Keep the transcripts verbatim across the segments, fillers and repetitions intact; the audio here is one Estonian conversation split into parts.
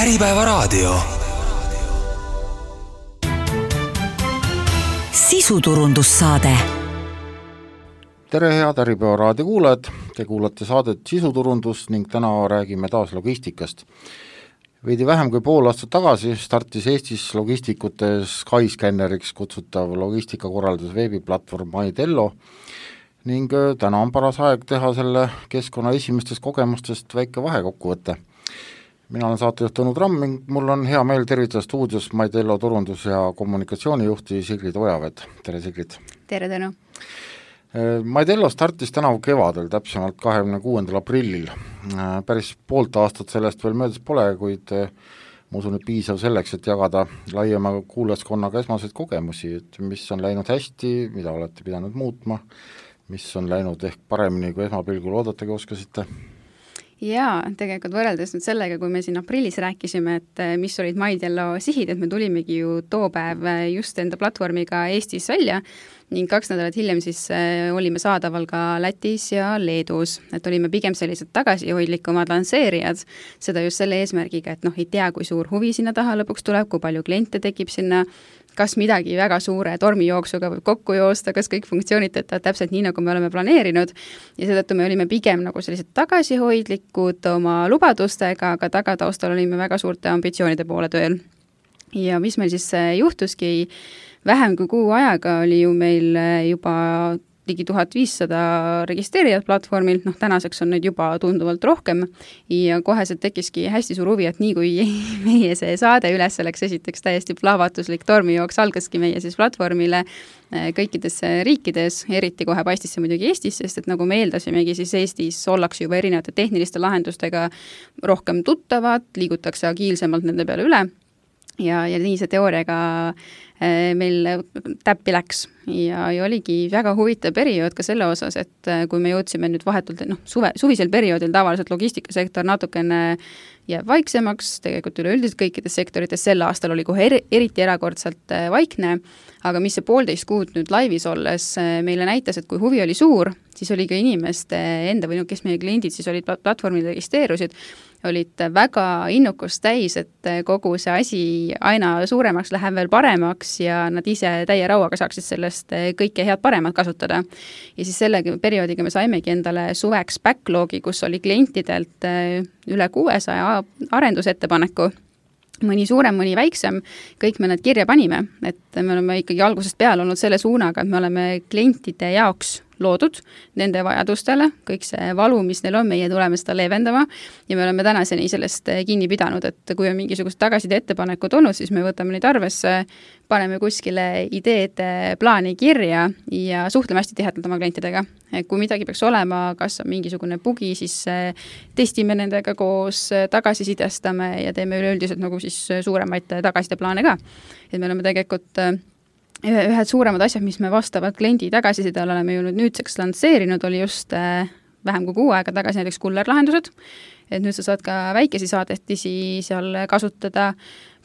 Äripäevaraadio. Sisuturundussaade. Tere head Äripäevaraadio kuulajad, te kuulate saadet Sisuturundus ning täna räägime taas logistikast. Veidi vähem kui pool aastat tagasi startis Eestis logistikute Skyscanneriks kutsutav logistikakorraldus veebiplatvorm MyTello ning täna on paras aeg teha selle keskkonna esimestest kogemustest väike vahekokkuvõte. Mina olen saatejuht Tõnu Tramm ning mul on hea meel tervitada stuudios MyTello turundus- ja kommunikatsioonijuhti Sigrid Ojavet. Tere Sigrid! Tere Tõnu! MyTello startis tänavu kevadel, täpsemalt kahekümne kuuendal aprillil. Päris poolt aastat sellest veel möödas pole, kuid ma usun, et piisav selleks, et jagada laiema kuulajaskonnaga esmaseid kogemusi, et mis on läinud hästi, mida olete pidanud muutma, mis on läinud ehk paremini, kui esmapilgul oodatagi oskasite. Jaa, tegelikult võrreldes nüüd sellega, kui me siin aprillis rääkisime, et mis olid MyTello sihid, et me tulimegi ju too päev just enda platvormiga Eestis välja ning kaks nädalat hiljem siis olime saadaval ka Lätis ja Leedus, et olime pigem sellised tagasihoidlikumad lansseerijad, seda just selle eesmärgiga, et noh, ei tea, kui suur huvi sinna taha lõpuks tuleb, kui palju kliente tekib sinna, kas midagi väga suure tormijooksuga võib kokku joosta, kas kõik funktsioonid töötavad täpselt nii, nagu me oleme planeerinud ja seetõttu me olime pigem nagu sellised tagasihoidlikud oma lubadustega, aga tagataustal olime väga suurte ambitsioonide poole tööl. Ja mis meil siis juhtuski, vähem kui kuu ajaga oli ju meil juba ligi tuhat viissada registreerijat platvormil, noh tänaseks on neid juba tunduvalt rohkem ja koheselt tekkiski hästi suur huvi, et nii kui meie see saade üles oleks esiteks täiesti plahvatuslik tormijooks algaski meie siis platvormile kõikides riikides, eriti kohe paistis see muidugi Eestis, sest et nagu me eeldasimegi, siis Eestis ollakse juba erinevate tehniliste lahendustega rohkem tuttavad, liigutakse agiilsemalt nende peale üle ja, ja nii see teooriaga meil täppi läks ja, ja oligi väga huvitav periood ka selle osas, et kui me jõudsime nüüd vahetult, noh, suve, suvisel perioodil tavaliselt logistikasektor natukene jääb vaiksemaks, tegelikult üleüldiselt kõikides sektorites sel aastal oli kohe eri, eriti erakordselt vaikne, aga mis see poolteist kuud nüüd laivis olles meile näitas, et kui huvi oli suur, siis oli ka inimeste enda või no, kes meie kliendid siis olid platvormil registreerusid, olid väga innukust täis, et kogu see asi aina suuremaks läheb veel paremaks ja nad ise täie rauaga saaksid sellest kõike head paremat kasutada. Ja siis selle perioodiga me saimegi endale suveks backlogi, kus oli klientidelt üle kuuesaja arendusettepaneku, mõni suurem, mõni väiksem, kõik me need kirja panime, et me oleme ikkagi algusest peale olnud selle suunaga, et me oleme klientide jaoks loodud nende vajadustele, kõik see valu, mis neil on, meie tuleme seda leevendama ja me oleme tänaseni sellest kinni pidanud, et kui on mingisugust tagaside ettepanekud olnud, siis me võtame neid arvesse, paneme kuskile ideede plaani kirja ja suhtleme hästi tihedalt oma klientidega. Kui midagi peaks olema, kas on mingisugune bugi, siis testime nendega koos, tagasisidestame ja teeme üleüldiselt nagu siis suuremaid tagasideplaane ka. Et me oleme tegelikult ühed suuremad asjad, mis me vastavalt kliendi tagasisidele oleme ju nüüdseks lansseerinud, oli just vähem kui kuu aega tagasi näiteks kullerlahendused, et nüüd sa saad ka väikesi saadetisi seal kasutada,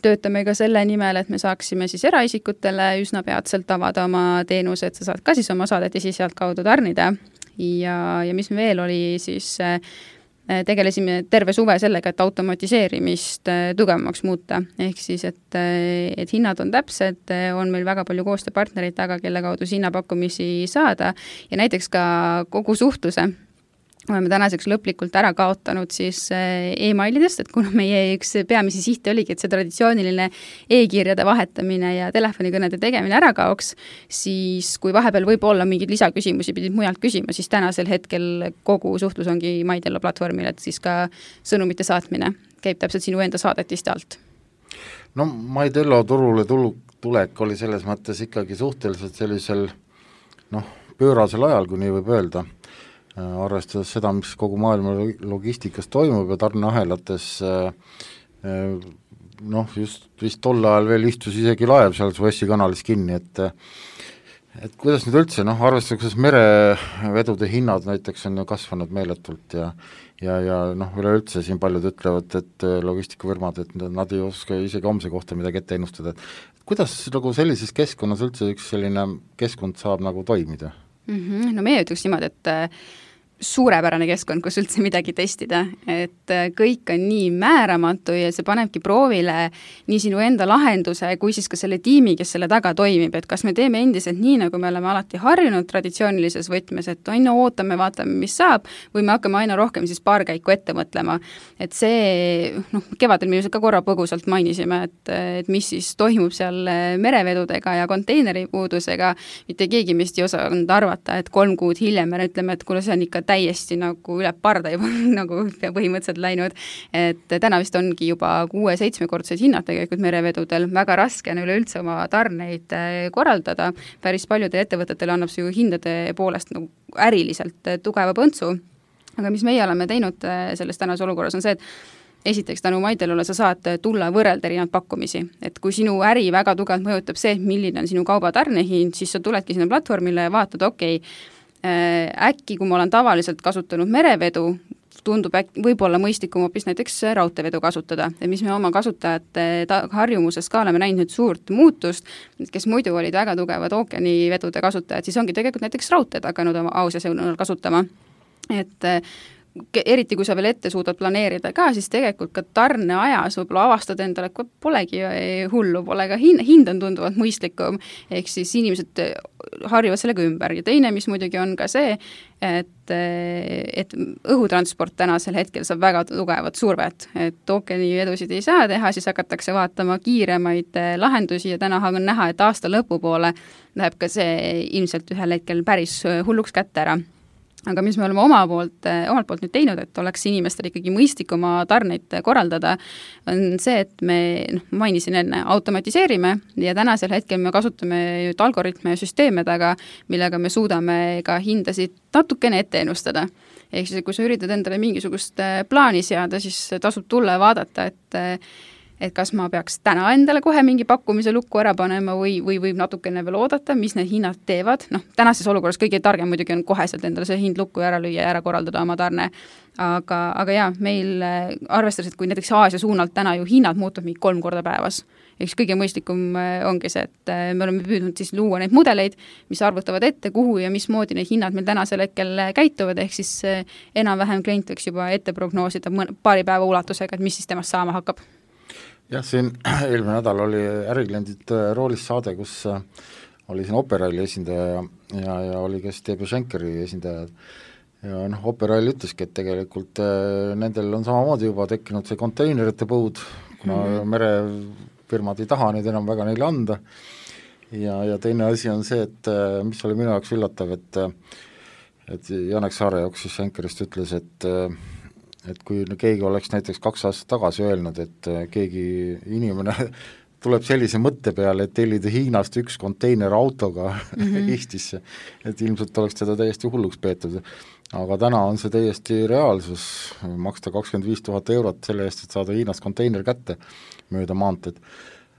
töötame ka selle nimel, et me saaksime siis eraisikutele üsna peatselt avada oma teenused, sa saad ka siis oma saadetisi sealt kaudu tarnida ja, ja mis veel oli siis tegelesime terve suve sellega, et automatiseerimist tugevamaks muuta. Ehk siis, et, et hinnad on täpsed, on meil väga palju koostööpartnerid taga, kelle kaudu hinnapakkumisi saada ja näiteks ka kogu suhtluse oleme tänaseks lõplikult ära kaotanud siis e-mailidest, et kuna meie üks peamisi sihte oligi, et see traditsiooniline e-kirjade vahetamine ja telefonikõnede tegemine ära kaoks, siis kui vahepeal võib olla mingeid lisaküsimusi pidid mujalt küsima, siis tänasel hetkel kogu suhtlus ongi MyTello platvormil, et siis ka sõnumite saatmine käib täpselt sinu enda saadetiste alt. No MyTello turule tulek oli selles mõttes ikkagi suhteliselt sellisel noh, pöörasel ajal, kui nii võib öelda. Arvestades seda, mis kogu maailma logistikas toimub ja tarneahelates noh, just vist tol ajal veel istus isegi laev seal Suessi kanalis kinni, et et kuidas nüüd üldse, noh, arvestades merevedude hinnad näiteks on ju kasvanud meeletult ja ja, ja noh, üleüldse siin paljud ütlevad, et logistikafirmad, et nad ei oska isegi homse kohta midagi ette ennustada, et kuidas nagu sellises keskkonnas üldse üks selline keskkond saab nagu toimida? Mm-hmm. No meie ütleks niimoodi, et suurepärane keskkond, kus üldse midagi testida, et kõik on nii määramatu ja see panebki proovile nii sinu enda lahenduse kui siis ka selle tiimi, kes selle taga toimib, et kas me teeme endiselt nii, nagu me oleme alati harjunud traditsioonilises võtmes, et aina ootame, vaatame, mis saab, või me hakkame aina rohkem siis paar käiku ette mõtlema. Et see, noh, kevadel me ka korra põgusalt mainisime, et, et mis siis toimub seal merevedudega ja konteineripuudusega, mitte keegi meist ei osanud arvata, et kolm kuud hiljem me ütleme, et kuule, see on ikka täiesti nagu üle parda juba nagu põhimõtteliselt läinud, et täna vist ongi juba kuue-seitsmekordsed hinnad tegelikult merevedudel, väga raske on üleüldse oma tarneid korraldada, päris paljudel ettevõtetel annab see ju hindade poolest nagu äriliselt tugeva põntsu, aga mis meie oleme teinud selles tänases olukorras on see, et esiteks tänu Maidelole sa saad tulla võrrelda erinevad pakkumisi, et kui sinu äri väga tugevalt mõjutab see, milline on sinu kauba tarnehind, siis sa tuledki sinna platvormile ja vaatad, okei okay,, äkki, kui ma olen tavaliselt kasutanud merevedu, tundub äkki, võib-olla mõistlikum hoopis näiteks raudteevedu kasutada, et mis me oma kasutajate ta- harjumuses ka oleme näinud nüüd suurt muutust, kes muidu olid väga tugevad ookeanivedude kasutajad, siis ongi tegelikult näiteks raudteed hakanud oma ausa sõnul kasutama. Et eriti kui sa veel ette suudad planeerida ka, siis tegelikult ka tarneajas võib-olla avastad endale, kui polegi hullu, pole ka hind, hind on tunduvalt mõistlikum, ehk siis inimesed harjuvad sellega ümber. Ja teine, mis muidugi on ka see, et, et õhutransport tänasel hetkel saab väga tugevat survet, et ookeanivedusid ei saa teha, siis hakatakse vaatama kiiremaid lahendusi ja täna on näha, et aasta lõpupoole läheb ka see ilmselt ühel hetkel päris hulluks kätte ära. Aga mis me oleme oma poolt, omalt poolt nüüd teinud, et oleks inimestel ikkagi mõistlik oma tarneid korraldada, on see, et me, noh, mainisin enne, automatiseerime ja tänasel hetkel me kasutame nüüd algoritme ja süsteeme taga, millega me suudame ka hindasid natukene ette ennustada. Ehk siis, kui sa üritad endale mingisugust plaani seada, siis tasub tulla ja vaadata, et et kas ma peaks täna endale kohe mingi pakkumise lukku ära panema või, või võib natukene veel oodata, mis need hinnad teevad. Noh, tänases olukorras kõige targem muidugi on koheselt endale see hind lukku ära lüüa ja ära korraldada oma tarne. Aga, aga jah, meil arvestades, et kui näiteks Aasia suunalt täna ju hinnad muutub mingi kolm korda päevas, eks kõige mõistlikum ongi see, et me oleme püüdnud siis luua neid mudeleid, mis arvutavad ette, kuhu ja mismoodi need hinnad meil tänasel hetkel käituvad, ehk siis enam-vähem klient võiks juba ette prognoosida paari päeva ulatusega, et mis siis temast saama hakkab. Jah, siin eelmine nädal oli ärikliendid roolis saade, kus oli siin Operaili esindaja ja, ja, ja oli ka T B Schenkeri esindajad ja noh, Operail ütleski, et tegelikult nendel on samamoodi juba tekkinud see konteinerite põud, kuna mm-hmm. merefirmad ei taha neid enam väga neile anda ja, ja teine asi on see, et mis oli minu jaoks üllatav, et et Janek Saare jooksis Schenkerist ütles, et et kui keegi oleks näiteks kaks aastat tagasi öelnud, et keegi inimene tuleb sellise mõtte peale, et tellida Hiinast üks konteiner autoga mm-hmm. Eestisse, et ilmselt oleks teda täiesti hulluks peetud. Aga täna on see täiesti reaalsus, maksta kakskümmend viis tuhat eurot selle eest, et saada Hiinast konteiner kätte mööda maanteed.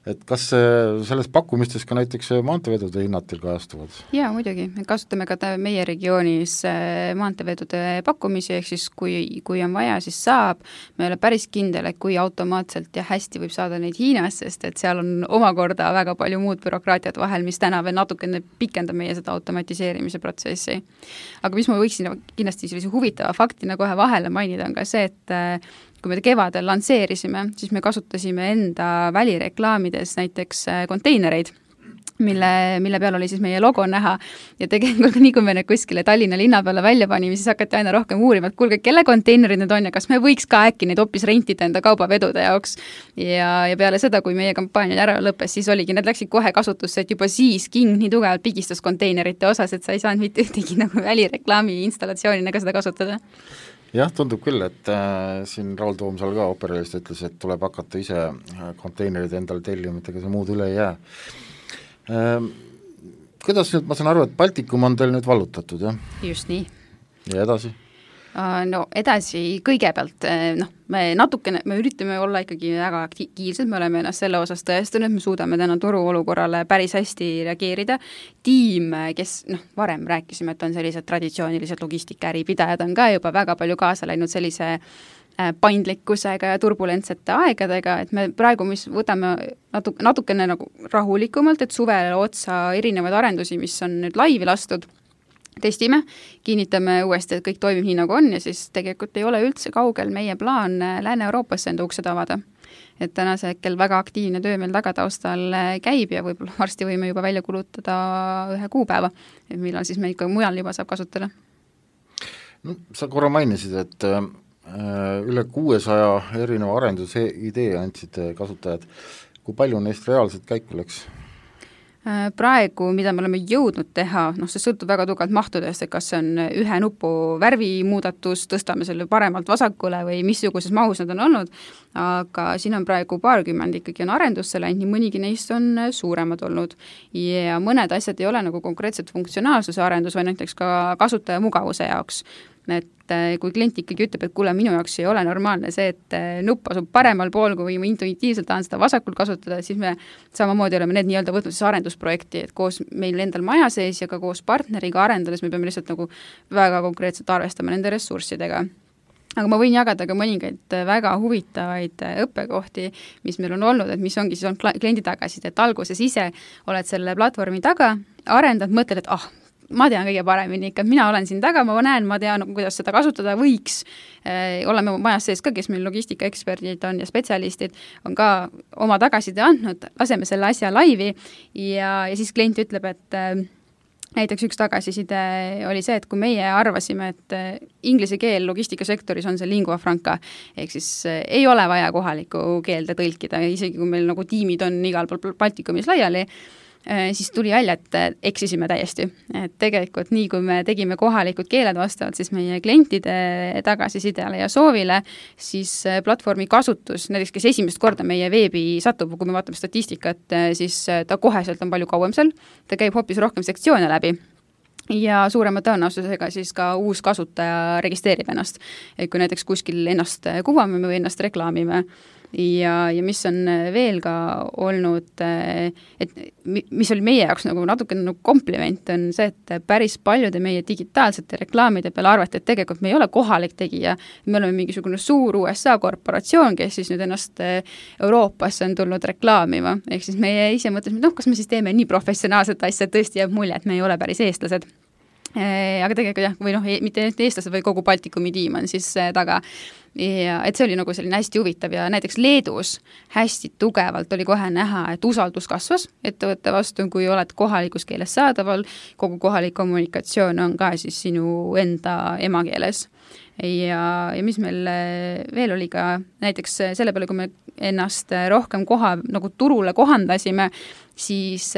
Et kas selles pakkumistes ka näiteks maanteevedude hinnad teil kajastuvad? Jaa, muidugi. Me kasutame ka meie regioonis maanteevedude pakkumisi, ehk siis kui, kui on vaja, siis saab. Me ei ole päris kindel, et kui automaatselt ja hästi võib saada neid Hiinas, sest et seal on omakorda väga palju muud bürokraatiat vahel, mis täna veel natukene pikendab meie seda automatiseerimise protsessi. Aga mis ma võiksin kindlasti sellise huvitava faktina kohe vahele mainida, on ka see, et kui me kevadel lansseerisime, siis me kasutasime enda välireklaamides näiteks konteinereid, mille, mille peal oli siis meie logo näha ja tegelikult nii kui me need kuskile Tallinna linna peale välja panime, siis hakati aina rohkem uurima, et kuulge, kelle konteinerid need on ja kas me võiks ka äkki neid hoopis rentida enda kaubavedude jaoks. Ja, ja peale seda, kui meie kampaania ära lõppes, siis oligi, need läksid kohe kasutusse, et juba siis King nii tugevalt pigistas konteinerite osas, et sa ei saanud mitte ühtegi nagu välireklaami installatsioonina ka seda kasutada. Jah, tundub küll, et äh, siin Raul Toomsal ka Operailist ütles, et tuleb hakata ise konteinerid endale tellima, et ega see muud üle ei jää. Äh, kuidas nüüd, ma saan aru, et Baltikum on teil nüüd vallutatud, jah? Just nii. Ja edasi? No edasi kõigepealt, noh, me natukene, me üritame olla ikkagi väga aktiivsed, me oleme ennast selle osas tõestanud, me suudame täna turu olukorrale päris hästi reageerida. Tiim, kes, noh, varem rääkisime, et on sellised traditsioonilised logistikäääripidajad, on ka juba väga palju kaasa läinud sellise paindlikkusega ja turbulentsete aegadega, et me praegu, mis võtame natuke, natukene nagu rahulikumalt, et suvele otsa erinevaid arendusi, mis on nüüd laivi lastud, testime, kinnitame uuesti, et kõik toimib nii, nagu on ja siis tegelikult ei ole üldse kaugel meie plaan Lääne-Euroopasse enda uksed avada. Et tänase hetkel väga aktiivne töö meil tagataustal käib ja võib-olla varsti võime juba välja kulutada ühe kuupäeva, et millal siis me ikka mujal juba saab kasutada. No, sa korra mainisid, et äh, üle kuuesaja erineva arenduse idee andsid kasutajad. Kui palju neist reaalselt käiku läks? Praegu, mida me oleme jõudnud teha, noh see sõltub väga tugevalt mahtudest, et kas see on ühe nupu värvimuudatus, tõstame selle paremalt vasakule või missuguses mahus nad on olnud, aga siin on praegu paarkümmend ikkagi on arendusse läinud, nii mõnigi neist on suuremad olnud ja mõned asjad ei ole nagu konkreetselt funktsionaalsuse arendus, vaid näiteks ka kasutaja mugavuse jaoks. Et kui klient ikkagi ütleb, et kuule, minu jaoks ei ole normaalne see, et nupp asub paremal pool, kui ma intuitiivselt tahan seda vasakul kasutada, siis me samamoodi oleme need nii-öelda võtnud siis arendusprojekti, et koos meil endal maja sees ja ka koos partneriga arendades me peame lihtsalt nagu väga konkreetselt arvestama nende ressurssidega. Aga ma võin jagada ka mõningaid väga huvitavaid õppekohti, mis meil on olnud, et mis ongi siis on kliendi tagasid, et alguses ise oled selle platvormi taga, arendad, mõtled, et ah, ma tean kõige paremini ikka, mina olen siin taga, ma näen, ma tean, kuidas seda kasutada võiks. E, oleme majas sees ka, kes meil logistikaeksperdid on ja spetsialistid, on ka oma tagaside andnud, laseme selle asja laivi ja, ja siis klient ütleb, et näiteks üks tagasiside oli see, et kui meie arvasime, et inglise keel logistikasektoris on see lingua franca, ehk siis ei ole vaja kohalikku keelde tõlkida, isegi kui meil nagu tiimid on igal pool Baltikumis laiali, siis tuli välja, et eksisime täiesti. Et tegelikult nii, kui me tegime kohalikud keeled vastavalt siis meie klientide tagasisidele ja soovile, siis platvormi kasutus, näiteks kes esimest korda meie veebi satub, kui me vaatame statistikat, siis ta koheselt on palju kauem seal, ta käib hoopis rohkem sektsioone läbi ja suurema tõenäosusega siis ka uus kasutaja registreerib ennast. Et kui näiteks kuskil ennast kuvame või ennast reklaamime ja, ja mis on veel ka olnud, et mis oli meie jaoks nagu natuke nagu kompliment, on see, et päris paljude meie digitaalsete reklaamide peale arvati, et tegelikult me ei ole kohalik tegija, me oleme mingisugune suur U S A korporatsioon, kes siis nüüd ennast Euroopasse on tulnud reklaamima, ehk siis meie ise mõtlesime, et noh, kas me siis teeme nii professionaalset asja, et tõesti jääb mulje, et me ei ole päris eestlased. Aga tegelikult jah, või noh, mitte eestlased või kogu Baltikumi tiim on siis taga. Ja et see oli nagu selline hästi huvitav ja näiteks Leedus hästi tugevalt oli kohe näha, et usaldus kasvas ettevõtte vastu, kui oled kohalikus keeles saadaval, kogu kohalik kommunikatsioon on ka siis sinu enda emakeeles. Ja, ja mis meil veel oli ka näiteks selle peale, kui me ennast rohkem koha, nagu turule kohandasime, siis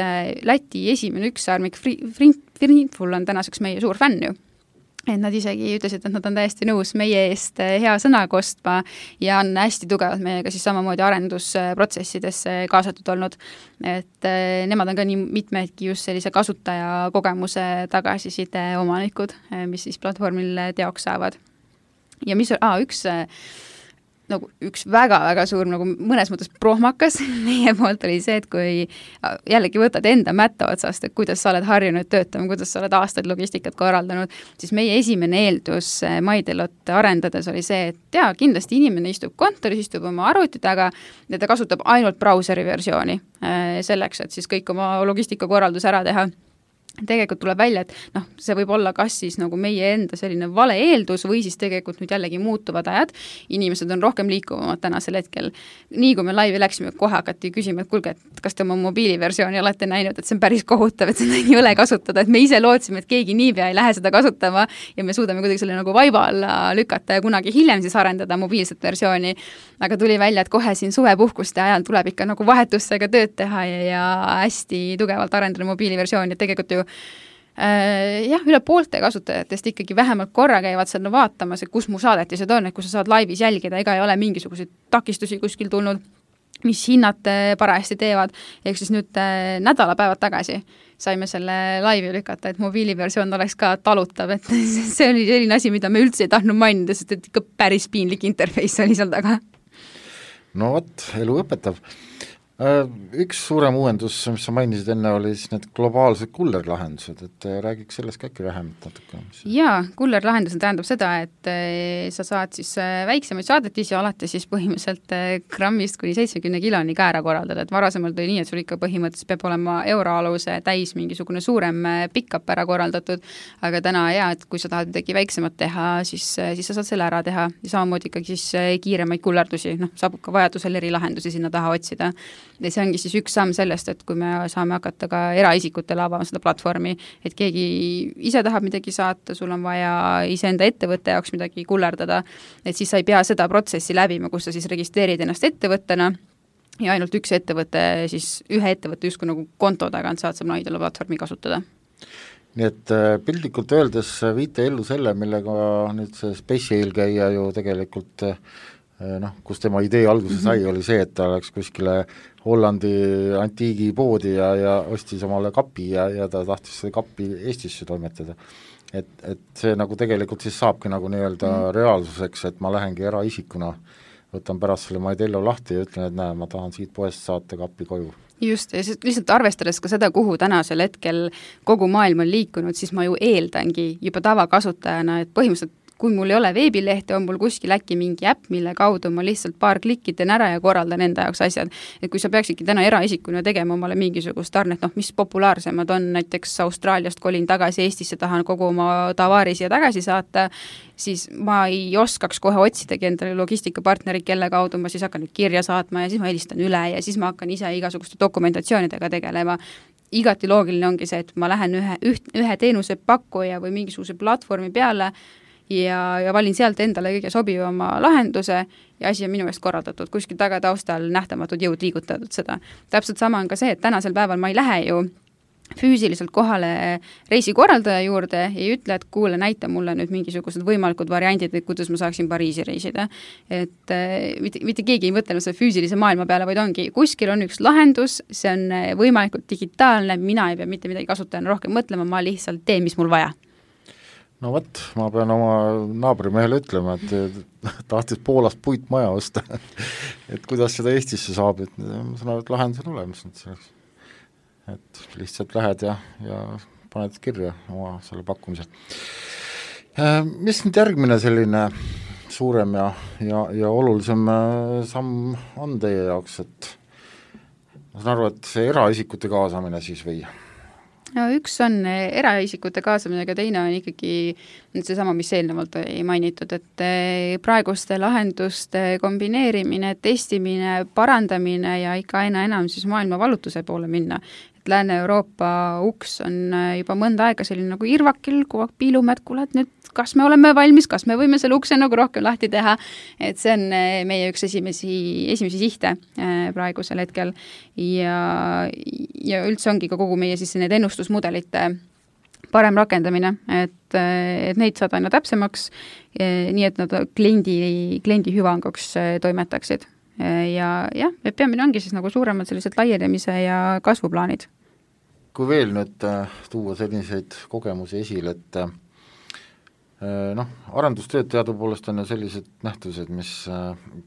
Läti esimene üksaarmik Frintful on tänaseks meie suur fänn ju. Et nad isegi ütlesid, et nad on täiesti nõus meie eest hea sõna kostma ja on hästi tugevalt meiega siis samamoodi arendusprotsessidesse kaasatud olnud. Et nemad on ka nii mitmedki just sellise kasutaja kogemuse tagasiside omanikud, mis siis platvormil teoks saavad. Ja mis on, aa, üks, nagu üks väga-väga suur, nagu mõnes mõttes prohmakas meie poolt oli see, et kui jällegi võtad enda mätta otsast, et kuidas sa oled harjunud töötama, kuidas sa oled aastaid logistikat korraldanud, siis meie esimene eeldus MyDelot arendades oli see, et jaa, kindlasti inimene istub kontoris, istub oma arvuti taga ja ta kasutab ainult brauseri versiooni selleks, et siis kõik oma logistikakorraldus ära teha. Tegelikult tuleb välja, et noh, see võib olla kas siis nagu meie enda selline vale eeldus või siis tegelikult nüüd jällegi muutuvad ajad. Inimesed on rohkem liikuvamad tänasel hetkel. Nii kui me laivi läksime, kohe hakati küsima, et kulge, et kas te oma mobiiliversiooni olete näinud, et see on päris kohutav, et seda ei ole kasutada, et me ise lootsime, et keegi niipea ei lähe seda kasutama ja me suudame kuidagi selle nagu vaiba alla lükata ja kunagi hiljem siis arendada mobiilset versiooni. Aga tuli välja, et kohe siin suvepuhkuste ajal tuleb ikka nagu vahetustega tööd teha ja, ja hästi tugevalt arendada mobiiliversiooni, et tegelikult ju jah, üle poolte kasutajatest ikkagi vähemalt korra käivad seal vaatamas, et kus mu saadetised on, et kus sa saad laivis jälgida, ega ei ole mingisuguseid takistusi kuskil tulnud, mis hinnad parajasti teevad, ehk siis nüüd nädalapäevad tagasi saime selle laivi lükata, et mobiiliversioon oleks ka talutav, et see oli selline asi, mida me üldse ei tahtnud mainida, sest et ikka päris piinlik interface oli seal taga. No vot, elu õpetab. Üks suurem uuendus, mis sa mainisid enne, oli siis need globaalsed kullerlahendused, et räägiks sellest ka äkki vähemalt natuke. Jaa, kullerlahendus tähendab seda, et sa saad siis väiksemaid saadetisi alati siis põhimõtteliselt grammist kuni seitsmekümne kiloni ka ära korraldada, et varasemalt oli nii, et sul ikka põhimõtteliselt peab olema euroaluse täis mingisugune suurem pick-up ära korraldatud, aga täna jaa, et kui sa tahad midagi väiksemat teha, siis, siis sa saad selle ära teha ja samamoodi ikkagi siis kiiremaid kullerdusi, noh, saab ka vajadusel eri lahendusi sinna taha otsida. Ja see ongi siis üks samm sellest, et kui me saame hakata ka eraisikutele avama seda platvormi, et keegi ise tahab midagi saata, sul on vaja iseenda ettevõtte jaoks midagi kullerdada, et siis sa ei pea seda protsessi läbima, kus sa siis registreerid ennast ettevõttena ja ainult üks ettevõte, siis ühe ettevõtte justkui nagu konto tagant saad sa Maidelo platvormi kasutada. Nii et piltlikult öeldes viite ellu selle, millega nüüd see Space eelkäija ju tegelikult noh, kus tema idee alguse sai, oli see, et ta läks kuskile Hollandi antiigipoodi ja, ja ostis omale kapi ja, ja ta tahtis seda kapi Eestisse toimetada. Et, et see nagu tegelikult siis saabki nagu nii-öelda mm. reaalsuseks, et ma lähengi eraisikuna, võtan pärast selle Maidello lahti ja ütlen, et näe, ma tahan siit poest saata kapi koju. Just, ja lihtsalt arvestades ka seda, kuhu tänasel hetkel kogu maailm on liikunud, siis ma ju eeldangi juba tavakasutajana, et põhimõtteliselt kui mul ei ole veebilehte, on mul kuskil äkki mingi äpp, mille kaudu ma lihtsalt paar klikki teen ära ja korraldan enda jaoks asjad. Et kui sa peaksidki täna eraisikuna tegema omale mingisugust tarnet, noh, mis populaarsemad on, näiteks Austraaliast kolin tagasi Eestisse, tahan kogu oma tavaari siia tagasi saata, siis ma ei oskaks kohe otsidagi endale logistikapartnerid, kelle kaudu ma siis hakkan nüüd kirja saatma ja siis ma helistan üle ja siis ma hakkan ise igasuguste dokumentatsioonidega tegelema. Igati loogiline ongi see, et ma lähen ühe, üht, ühe teenuse pakkuja või mingisuguse platvormi peale ja, ja valin sealt endale kõige sobivama lahenduse ja asi on minu eest korraldatud, kuskil taga taustal nähtamatud jõud liigutatud seda. Täpselt sama on ka see, et tänasel päeval ma ei lähe ju füüsiliselt kohale reisikorraldaja juurde ja ei ütle, et kuule, näita mulle nüüd mingisugused võimalikud variandid, et kuidas ma saaksin Pariisi reisida. Et mitte, mitte keegi ei mõtelnud selle füüsilise maailma peale, vaid ongi, kuskil on üks lahendus, see on võimalikult digitaalne, mina ei pea mitte midagi kasutajana rohkem mõtlema, ma lihtsalt teen, mis mul vaja. No võt, ma pean oma naabrimehele ütlema, et tahtis Poolast puitmaja osta, et kuidas seda Eestisse saab, et ma saan aru, et lahendus on olemas, et selleks et lihtsalt lähed ja, ja paned kirja oma selle pakkumise. Mis nüüd järgmine selline suurem ja, ja, ja olulisem samm on teie jaoks, et ma saan aru, et see eraisikute kaasamine siis või? No, üks on eraisikute kaasamine, aga teine on ikkagi seesama, mis eelnevalt ei mainitud, et praeguste lahenduste kombineerimine, testimine, parandamine ja ikka aina enam siis maailma valutuse poole minna. Et Lääne-Euroopa uks on juba mõnda aega selline nagu irvakil, kui piilumed, kuule, et nüüd kas me oleme valmis, kas me võime selle ukse nagu rohkem lahti teha, et see on meie üks esimesi, esimesi sihte praegusel hetkel ja, ja üldse ongi ka kogu meie siis need ennustusmudelite parem rakendamine, et, et neid saad aina täpsemaks, nii et nad kliendi, kliendi hüvanguks toimetaksid. Ja jah, et peamine ongi siis nagu suuremad sellised laienemise ja kasvuplaanid. Kui veel nüüd tuua selliseid kogemusi esile, et noh, arendustööd teadupoolest on ju sellised nähtused, mis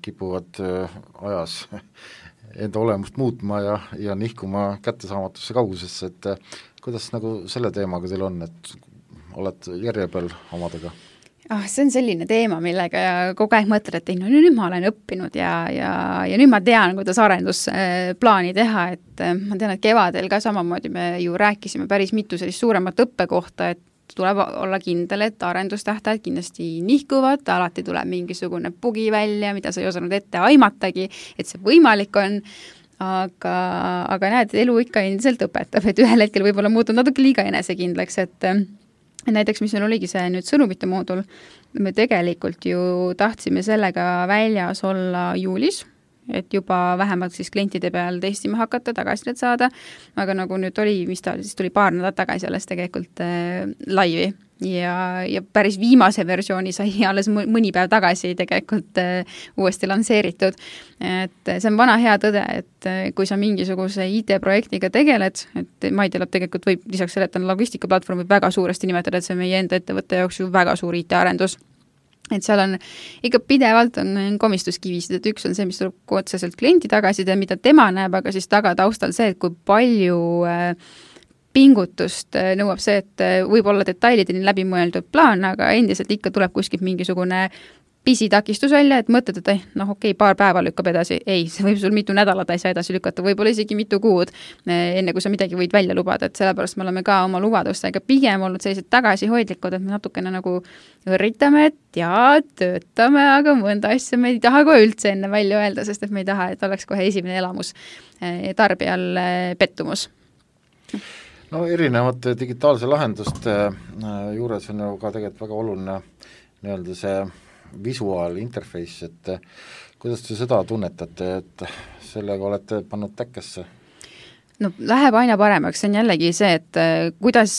kipuvad ajas enda olemust muutma ja, ja nihkuma kättesaamatusse kaugusesse, et kuidas nagu selle teemaga teil on, et oled järje peal omadega? Ah, see on selline teema, millega kogu aeg mõtled, et ei, no nüüd ma olen õppinud ja, ja, ja nüüd ma tean, kuidas arendusplaani teha, et ma tean, et kevadel ka samamoodi me ju rääkisime päris mitu sellist suuremat õppekohta, et tuleb olla kindel, et arendustähtajad kindlasti nihkuvad, alati tuleb mingisugune bugi välja, mida sa ei osanud ette aimatagi, et see võimalik on, aga, aga näed, elu ikka endiselt õpetab, et ühel hetkel võib-olla muutub natuke liiga enesekindlaks, et näiteks, mis meil oligi see nüüd sõnumite moodul, me tegelikult ju tahtsime sellega väljas olla juulis, et juba vähemalt siis klientide peal testima hakata, tagasisidet saada, aga nagu nüüd oli, mis ta siis tuli paar nädalat tagasi alles tegelikult äh, laivi ja, ja päris viimase versiooni sai alles mõni päev tagasi tegelikult äh, uuesti lansseeritud. Et see on vana hea tõde, et kui sa mingisuguse I T-projektiga tegeled, et Maidelo tegelikult võib lisaks selle, et on logistikaplatvorm, võib väga suuresti nimetada, et see on meie enda ettevõtte jaoks ju väga suur I T-arendus. et seal on ikka pidevalt on komistuskivisid, et üks on see, mis tuleb otseselt kliendi tagasiside, mida tema näeb, aga siis taga taustal see, et kui palju pingutust nõuab see, et võib olla detailideni läbi mõeldud plaan, aga endiselt ikka tuleb kuskilt mingisugune pisitakistus välja, et mõtled, et eh, noh okei, paar päeva lükkab edasi, ei, see võib sul mitu nädalat asja edasi lükata, võib-olla isegi mitu kuud, enne kui sa midagi võid välja lubada, et sellepärast me oleme ka oma lubadustega pigem olnud sellised tagasihoidlikud, et me natukene nagu õrritame, et jaa, töötame, aga mõnda asja me ei taha kohe üldse enne välja öelda, sest et me ei taha, et oleks kohe esimene elamus tarbijal pettumus. No erinevate digitaalse lahenduste juures on ju ka tegelikult väga oluline nii-öelda see visuaal, interface, et kuidas te seda tunnetate, et sellega olete pannud täkkesse? No läheb aina paremaks, see on jällegi see, et kuidas,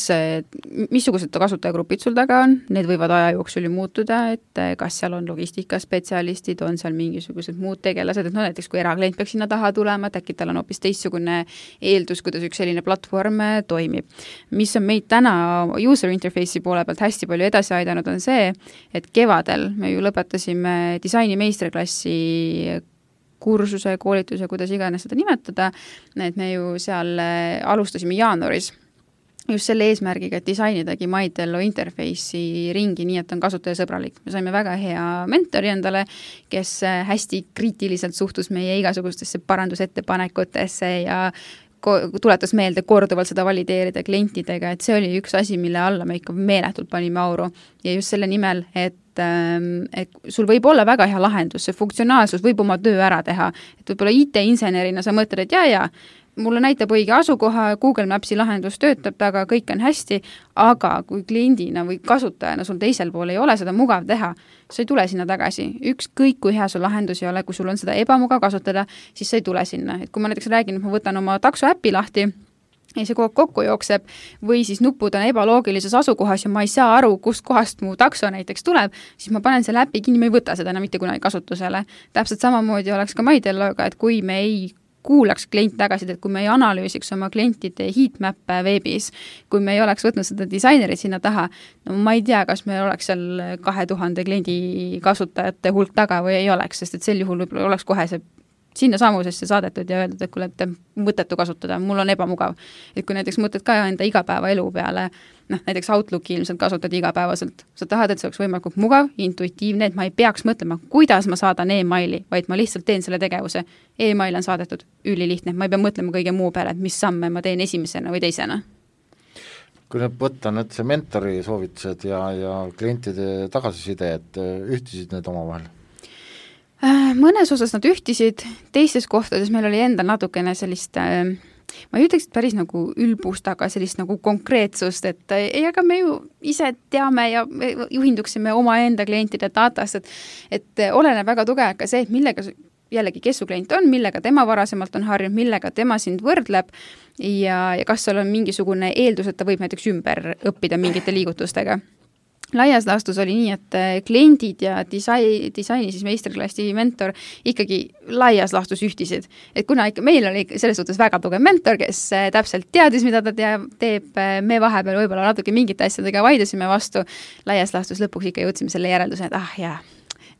missugused kasutajagrupid sul taga on, need võivad aja jooksul ju muutuda, et kas seal on logistikaspetsialistid, on seal mingisugused muud tegelased, et no näiteks kui eraklient peaks sinna taha tulema, et äkki tal on hoopis teistsugune eeldus, kuidas üks selline platvorm toimib. Mis on meid täna user interface'i poole pealt hästi palju edasi aidanud, on see, et kevadel me ju lõpetasime disaini meistriklassi kursuse, koolituse, kuidas iganes seda nimetada, et me ju seal alustasime jaanuaris just selle eesmärgiga, et disainidagi MyTello interface'i ringi nii, et on kasutajasõbralik. Me saime väga hea mentori endale, kes hästi kriitiliselt suhtus meie igasugustesse parandusettepanekutesse ja tuletas meelde korduvalt seda valideerida klientidega, et see oli üks asi, mille alla me ikka meeletult panime auru ja just selle nimel, et et sul võib olla väga hea lahendus, see funktsionaalsus võib oma töö ära teha, et võib-olla I T-insenerina sa mõtled, et jaa, jaa, mulle näitab õige asukoha, Google Maps'i lahendus töötab taga, kõik on hästi, aga kui kliendina või kasutajana sul teisel pool ei ole seda mugav teha, sa ei tule sinna tagasi. Ükskõik kui hea sul lahendus ei ole, kui sul on seda ebamugav kasutada, siis sa ei tule sinna. Et kui ma näiteks räägin, et ma võtan oma takso äppi lahti, ja see kogu kokku jookseb või siis nupud on ebaloogilises asukohas ja ma ei saa aru, kust kohast mu takso näiteks tuleb, siis ma panen selle äpi kinni, ma ei võta seda enam mitte kunagi kasutusele. Täpselt samamoodi oleks ka MyTelloga, et kui me ei kuulaks klient tagasi, et kui me ei analüüsiks oma klientide heatmappe veebis, kui me ei oleks võtnud seda disainerit sinna taha, no ma ei tea, kas meil oleks seal kahe tuhande kliendi kasutajate hulk taga või ei oleks, sest et sel juhul võib-olla oleks kohe see sinna samusesse saadetud ja öeldud, et kuule, et mõttetu kasutada, mul on ebamugav. Et kui näiteks mõtled ka enda igapäeva elu peale, noh, näiteks Outlooki ilmselt kasutad igapäevaselt, sa tahad, et see oleks võimalikult mugav, intuitiivne, et ma ei peaks mõtlema, kuidas ma saadan e-maili, vaid ma lihtsalt teen selle tegevuse. E-mail on saadetud ülilihtne, ma ei pea mõtlema kõige muu peale, et mis samme ma teen esimesena või teisena. Kui nüüd võtta nüüd see mentori soovitused ja, ja klientide tagasiside, et ühtisid need oma vahel? Mõnes osas nad ühtisid, teistes kohtades meil oli endal natukene sellist, ma ei ütleks, et päris nagu ülbust, aga sellist nagu konkreetsust, et ei, aga me ju ise teame ja juhinduksime oma enda klientide datast, et, et oleneb väga tugev ka see, et millega jällegi, kes su klient on, millega tema varasemalt on harjunud, millega tema sind võrdleb ja, ja kas seal on mingisugune eeldus, et ta võib näiteks ümber õppida mingite liigutustega. Laias laastus oli nii, et kliendid ja disaini, disaini siis meistriklassi mentor ikkagi laias laastus ühtisid. Et kuna ikka meil oli selles suhtes väga tugev mentor, kes täpselt teadis, mida ta teab, teeb, me vahepeal võib-olla natuke mingite asjadega vaidusime vastu, laias laastus lõpuks ikka jõudsime selle järelduse, et ah jaa,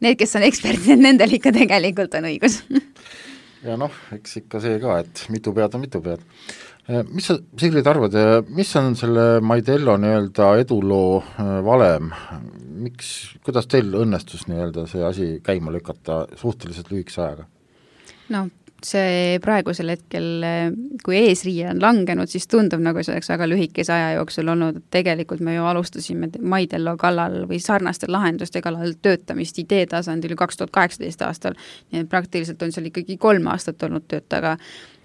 need, kes on eksperdid, nendel ikka tegelikult on õigus. Ja noh, eks ikka see ka, et mitu pead on mitu pead. Mis sa, Sigrid, arvad, mis on selle MyTello nii-öelda eduloo valem? Miks, kuidas teil õnnestus nii-öelda see asi käima lükata suhteliselt lühikese ajaga? No see praegusel hetkel, kui eesriie on langenud, siis tundub nagu see oleks väga lühikese aja jooksul olnud, et tegelikult me ju alustasime MyTello kallal või sarnaste lahenduste kallal töötamist idee tasandil kaks tuhat kaheksateist aastal. Nii praktiliselt on seal ikkagi kolm aastat olnud töötaga,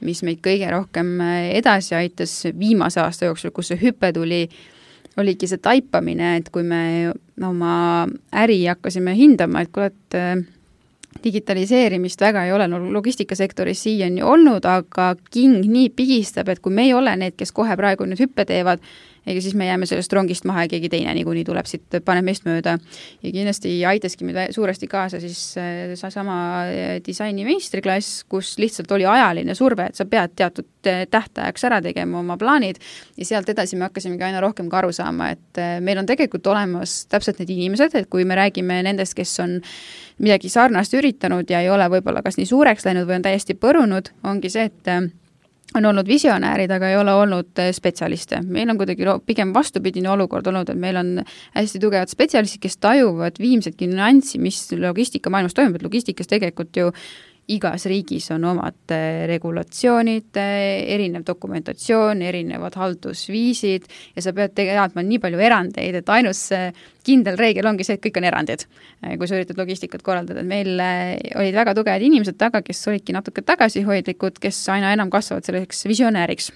mis meid kõige rohkem edasi aitas viimase aasta jooksul, kus see hüpe tuli, oligi see taipamine, et kui me oma äri hakkasime hindama, et kuule, et digitaliseerimist väga ei ole no, logistikasektoris siiani olnud, aga king nii pigistab, et kui me ei ole need, kes kohe praegu nüüd hüppe teevad, ega siis me jääme sellest rongist maha ja keegi teine niikuinii tuleb siit, paneb meist mööda. Ja kindlasti aitaski meid suuresti kaasa siis sama disaini meistriklass, kus lihtsalt oli ajaline surve, et sa pead teatud tähtajaks ära tegema oma plaanid ja sealt edasi me hakkasimegi aina rohkem ka aru saama, et meil on tegelikult olemas täpselt need inimesed, et kui me räägime nendest, kes on midagi sarnast üritanud ja ei ole võib-olla kas nii suureks läinud või on täiesti põrunud, ongi see, et on olnud visionäärid, aga ei ole olnud spetsialiste. Meil on kuidagi pigem vastupidine olukord olnud, et meil on hästi tugevad spetsialistid, kes tajuvad viimsetki nüanssi, mis logistika maailmas toimub, et logistikas tegelikult ju igas riigis on omad regulatsioonid, erinev dokumentatsioon, erinevad haldusviisid ja sa pead teadma nii palju erandeid, et ainus kindel reegel ongi see, et kõik on erandid, kui sa üritad logistikat korraldada. Meil olid väga tugevad inimesed taga, kes olidki natuke tagasihoidlikud, kes aina enam kasvavad selleks visionääriks.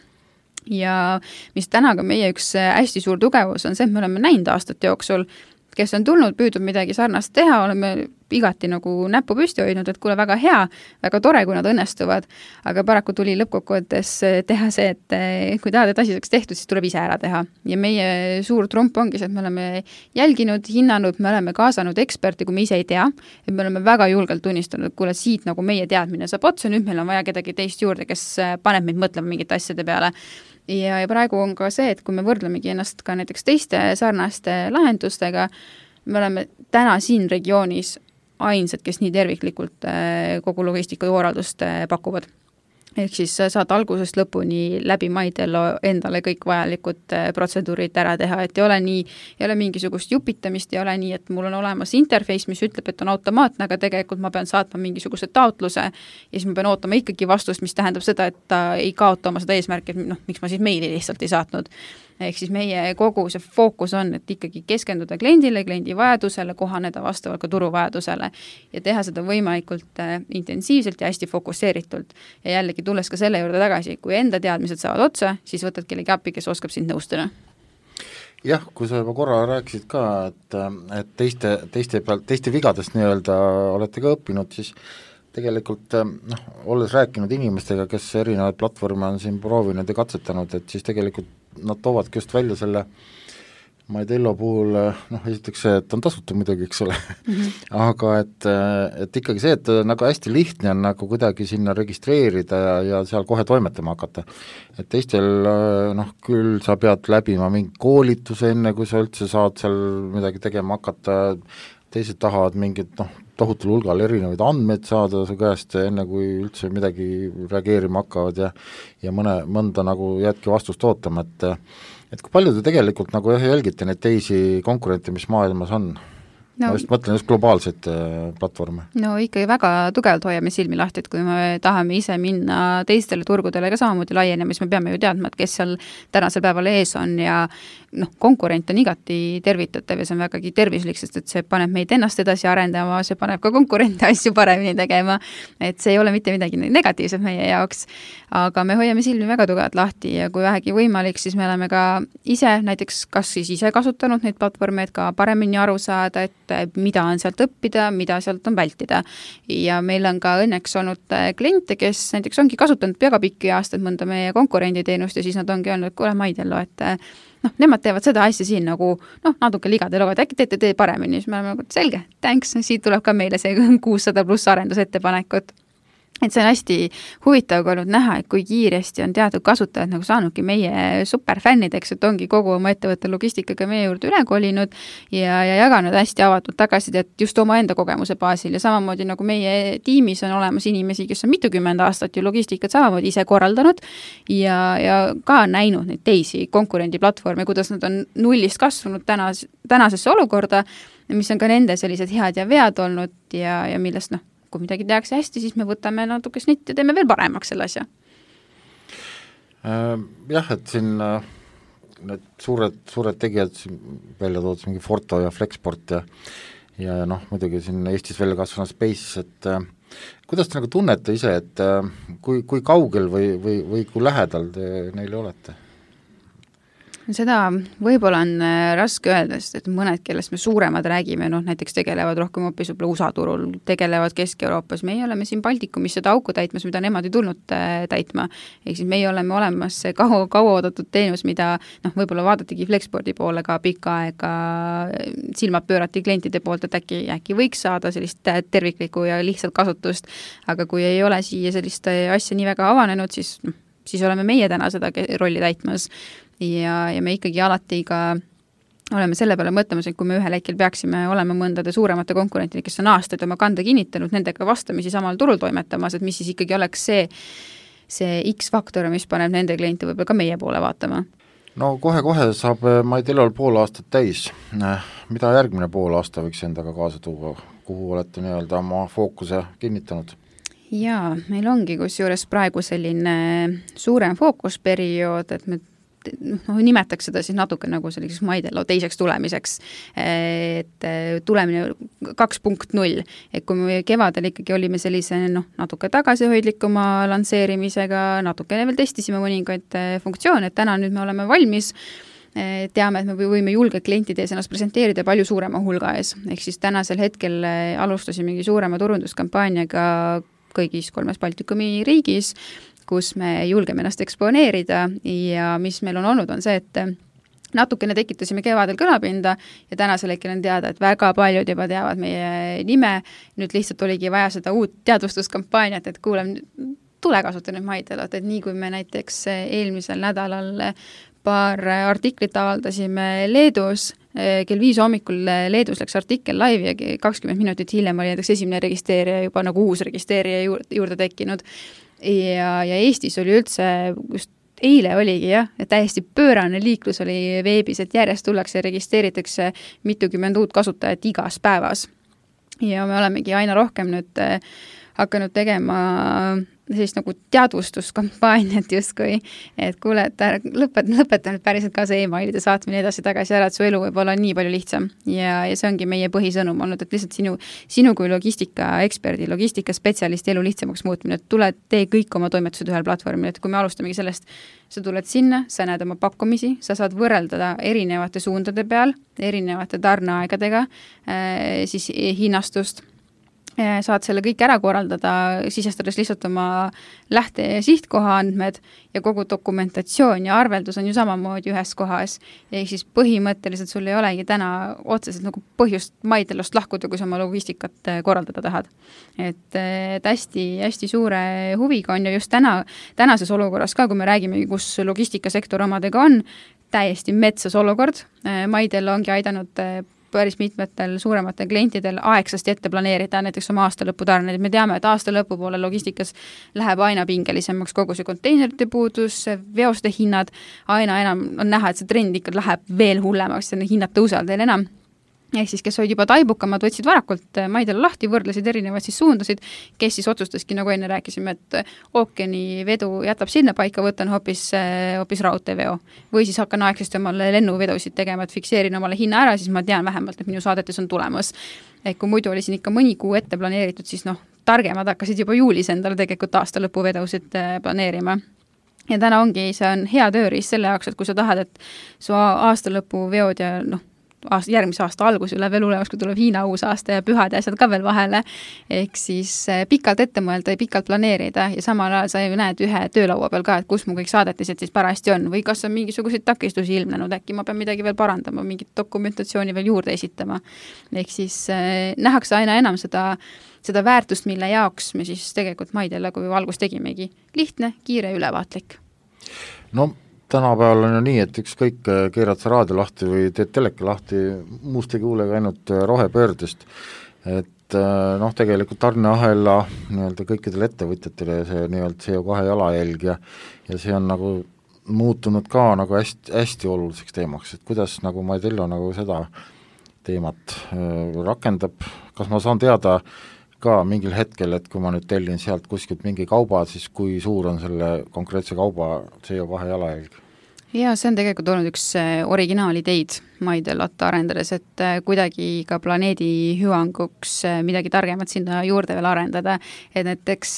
Ja mis täna ka meie üks hästi suur tugevus on see, et me oleme näinud aastate jooksul, kes on tulnud, püüdnud midagi sarnast teha, oleme igati nagu näppu püsti hoidnud, et kuule, väga hea, väga tore, kui nad õnnestuvad, aga paraku tuli lõppkokkuvõttes teha see, et kui tahad, et asi saaks tehtud, siis tuleb ise ära teha. Ja meie suur trump ongi see, et me oleme jälginud, hinnanud, me oleme kaasanud eksperti, kui me ise ei tea, et me oleme väga julgelt tunnistanud, et kuule, siit nagu meie teadmine saab otsa, nüüd meil on vaja kedagi teist juurde, kes paneb meid mõtlema mingite asjade peale. Ja, ja praegu on ka see, et kui me võrdlemegi ennast ka näiteks teiste sarnaste lahendustega, me oleme täna siin regioonis ainsad, kes nii terviklikult kogu logistika korraldust pakuvad. Ehk siis saad algusest lõpuni läbi Maidello endale kõik vajalikud protseduurid ära teha, et ei ole nii, ei ole mingisugust jupitamist, ei ole nii, et mul on olemas interface, mis ütleb, et on automaatne, aga tegelikult ma pean saatma mingisuguse taotluse ja siis ma pean ootama ikkagi vastust, mis tähendab seda, et ta ei kaota oma seda eesmärki, et noh, miks ma siis meili lihtsalt ei saatnud. Ehk siis meie kogu see fookus on, et ikkagi keskenduda kliendile, kliendi vajadusele, kohaneda vastavalt ka turuvajadusele ja teha seda võimalikult intensiivselt ja hästi fokusseeritult. Ja jällegi tulles ka selle juurde tagasi, kui enda teadmised saavad otsa, siis võtad kellegi appi, kes oskab sind nõustada. Jah, kui sa juba korra rääkisid ka, et, et teiste, teiste pealt, teiste vigadest nii-öelda olete ka õppinud, siis tegelikult noh, olles rääkinud inimestega, kes erinevaid platvorme on siin proovinud ja katsetanud, et siis tegelikult nad toovadki just välja selle Maidello puhul, noh, esiteks see, et on tasuta muidugi, eks ole mm, -hmm. aga et, et ikkagi see, et nagu hästi lihtne on nagu kuidagi sinna registreerida ja, ja seal kohe toimetama hakata. Et teistel, noh, küll sa pead läbima mingi koolituse enne, kui sa üldse saad seal midagi tegema hakata, teised tahavad mingit, noh, tohutul hulgal erinevaid andmeid saada su käest enne, kui üldse midagi reageerima hakkavad ja ja mõne, mõnda nagu jäädki vastust ootama, et et kui palju te tegelikult nagu jälgite neid teisi konkurente, mis maailmas on? No, ma just mõtlen just globaalseid platvorme. No ikkagi väga tugevalt hoiame silmi lahti, et kui me tahame ise minna teistele turgudele ka samamoodi laienema, siis me peame ju teadma, et kes seal tänasel päeval ees on ja noh, konkurent on igati tervitatav ja see on vägagi tervislik, sest et see paneb meid ennast edasi arendama, see paneb ka konkurente asju paremini tegema, et see ei ole mitte midagi negatiivset meie jaoks, aga me hoiame silmi väga tugevalt lahti ja kui vähegi võimalik, siis me oleme ka ise näiteks kas siis ise kasutanud neid platvorme, et ka paremini aru saada, et mida on sealt õppida, mida sealt on vältida. Ja meil on ka õnneks olnud kliente, kes näiteks ongi kasutanud väga pikki aastaid mõnda meie konkurenditeenust ja siis nad ongi öelnud, et kuule Maidello, et noh, nemad teevad seda asja siin nagu noh, natuke ligade lood, äkki teete tee paremini, siis me oleme nagu selge, thanks, siit tuleb ka meile see kuussada pluss arendusettepanekut. Et see on hästi huvitav olnud näha, et kui kiiresti on teatud kasutajad nagu saanudki meie superfännideks, et ongi kogu oma ettevõtte logistikaga meie juurde üle kolinud ja, ja jaganud hästi avatud tagasisidet just oma enda kogemuse baasil ja samamoodi nagu meie tiimis on olemas inimesi, kes on mitukümmend aastat ju logistikat samamoodi ise korraldanud ja, ja ka näinud neid teisi konkurendiplatvorme, kuidas nad on nullist kasvanud tänas, tänasesse olukorda, mis on ka nende sellised head ja vead olnud ja, ja millest noh, kui midagi tehakse hästi, siis me võtame natuke snitt ja teeme veel paremaks selle asja. Jah, et siin need suured, suured tegijad välja toodud, mingi Forto ja Flexport ja ja noh, muidugi siin Eestis välja kasvanud Space, et kuidas te nagu tunnete ise, et kui, kui kaugel või, või, või kui lähedal te neile olete? Seda võib-olla on raske öelda, sest et mõned, kellest me suuremad räägime, noh näiteks tegelevad rohkem hoopis U S A turul, tegelevad Kesk-Euroopas, meie oleme siin Baltikumis seda auku täitmas, mida nemad ei tulnud täitma. Ehk siis meie oleme olemas kaua, kaua oodatud teenus, mida noh, võib-olla vaadatigi Flexporti poole ka pikka aega, silmad pöörati klientide poolt, et äkki, äkki võiks saada sellist terviklikku ja lihtsalt kasutust, aga kui ei ole siia sellist asja nii väga avanenud, siis, noh, siis oleme meie täna seda rolli täitmas. Ja, ja me ikkagi alati ka oleme selle peale mõtlemas, et kui me ühel hetkel peaksime olema mõndade suuremate konkurentide, kes on aastaid oma kande kinnitanud, nendega vastamisi samal turul toimetamas, et mis siis ikkagi oleks see, see X-faktor, mis paneb nende kliente võib-olla ka meie poole vaatama. No kohe-kohe saab Maidellol pool aastat täis. Mida järgmine pool aasta võiks endaga kaasa tuua? Kuhu olete nii-öelda oma fookuse kinnitanud? Jaa, meil ongi kusjuures praegu selline suurem fookusperiood, et me noh, nimetaks seda siis natuke nagu selliseks Maidello teiseks tulemiseks, et tulemine kaks punkt null, et kui me kevadel ikkagi olime sellise noh, natuke tagasihoidlikuma lansseerimisega, natuke veel testisime mõningaid funktsioone, et täna nüüd me oleme valmis, teame, et me võime julge klientide ees ennast presenteerida palju suurema hulga ees, ehk siis tänasel hetkel alustasimegi suurema turunduskampaaniaga kõigis kolmes Baltikumi riigis, kus me julgeme ennast eksponeerida ja mis meil on olnud, on see, et natukene tekitasime kevadel kõlapinda ja tänasel hetkel on teada, et väga paljud juba teavad meie nime, nüüd lihtsalt oligi vaja seda uut teadvustuskampaaniat, et kuulem, tule kasuta nüüd Maidellot, et nii kui me näiteks eelmisel nädalal paar artiklit avaldasime Leedus, kell viis hommikul Leedus läks artikkel live ja kakskümmend minutit hiljem oli näiteks esimene registreerija juba nagu uus registreerija juurde tekkinud. Ja, ja Eestis oli üldse, just eile oligi jah, täiesti pöörane liiklus oli veebis, et järjest tullakse ja registreeritakse mitukümmend uut kasutajat igas päevas. Ja me olemegi aina rohkem nüüd hakanud tegema sellist nagu teadvustuskampaaniat justkui, et kuule, et lõpet, lõpeta nüüd päriselt ka see e-mailide saatmine edasi tagasi ära, et su elu võib olla nii palju lihtsam. Ja, ja see ongi meie põhisõnum olnud, et lihtsalt sinu, sinu kui logistika eksperdi, logistika spetsialisti elu lihtsamaks muutmine, et tule, tee kõik oma toimetused ühel platvormil, et kui me alustamegi sellest, sa tuled sinna, sa näed oma pakkumisi, sa saad võrreldada erinevate suundade peal, erinevate tarneaegadega, siis hinnastust, saad selle kõik ära korraldada, sisestades lihtsalt oma lähte- ja sihtkoha andmed ja kogu dokumentatsioon ja arveldus on ju samamoodi ühes kohas. Ja siis põhimõtteliselt sul ei olegi täna otseselt nagu põhjust Maidellost lahkuda, kui sa oma logistikat korraldada tahad. Et, et hästi, hästi suure huviga on ja just täna, tänases olukorras ka, kui me räägime, kus logistikasektor omadega on, täiesti metsas olukord. Maidello ongi aidanud päris mitmetel suurematel klientidel aegsasti ette planeerida näiteks oma aasta lõputarned. Me teame, et aasta lõpu poole logistikas läheb aina pingelisemaks kogu see konteinerite puudus, veoste hinnad, aina enam on näha, et see trend ikka läheb veel hullemaks ja hinnad tõusevad veel enam. Ehk siis, kes olid juba taibukamad, võtsid varakult Maidello lahti, võrdlesid erinevaid siis suundasid, kes siis otsustaski, nagu enne rääkisime, et ookeani vedu jätab sinna paika, võtan hoopis, hoopis raudteeveo. Või siis hakkan aegsasti omale lennuvedusid tegema, et fikseerin omale hinna ära, siis ma tean vähemalt, et minu saadetes on tulemas. Et kui muidu oli siin ikka mõni kuu ette planeeritud, siis noh, targemad hakkasid juba juulis endale tegelikult aasta lõpu vedusid planeerima. Ja täna ongi, see on hea tööriist selle jaoks, et kui sa tahad, et su aasta lõpu veod ja noh, aasta, järgmise aasta algus üle veel ulemas, kui tuleb Hiina uus aasta ja pühad ja asjad ka veel vahele, ehk siis pikalt ette mõelda ja pikalt planeerida ja samal ajal sa ju näed ühe töölaua peal ka, et kus mu kõik saadetised siis parajasti on või kas on mingisuguseid takistusi ilmnenud, äkki ma pean midagi veel parandama, mingit dokumentatsiooni veel juurde esitama. Ehk siis eh, nähakse aina enam seda, seda väärtust, mille jaoks me siis tegelikult Maidello kui valgus tegimegi. Lihtne, kiire, ülevaatlik. No tänapäeval on ju nii, et ükskõik keerad sa raadio lahti või teed teleka lahti, muust ei kuulega ainult rohepöördest, et noh, tegelikult tarneahela nii-öelda kõikidele ettevõtjatele see nii-öelda C O kahe jalajälg ja, ja see on nagu muutunud ka nagu hästi, hästi oluliseks teemaks, et kuidas nagu Maidello nagu seda teemat rakendab, kas ma saan teada ka mingil hetkel, et kui ma nüüd tellin sealt kuskilt mingi kauba, siis kui suur on selle konkreetse kauba C O kahe jalajälg? Ja see on tegelikult olnud üks originaalideid Maidellot arendades, et kuidagi ka planeedi hüvanguks midagi targemat sinna juurde veel arendada, et näiteks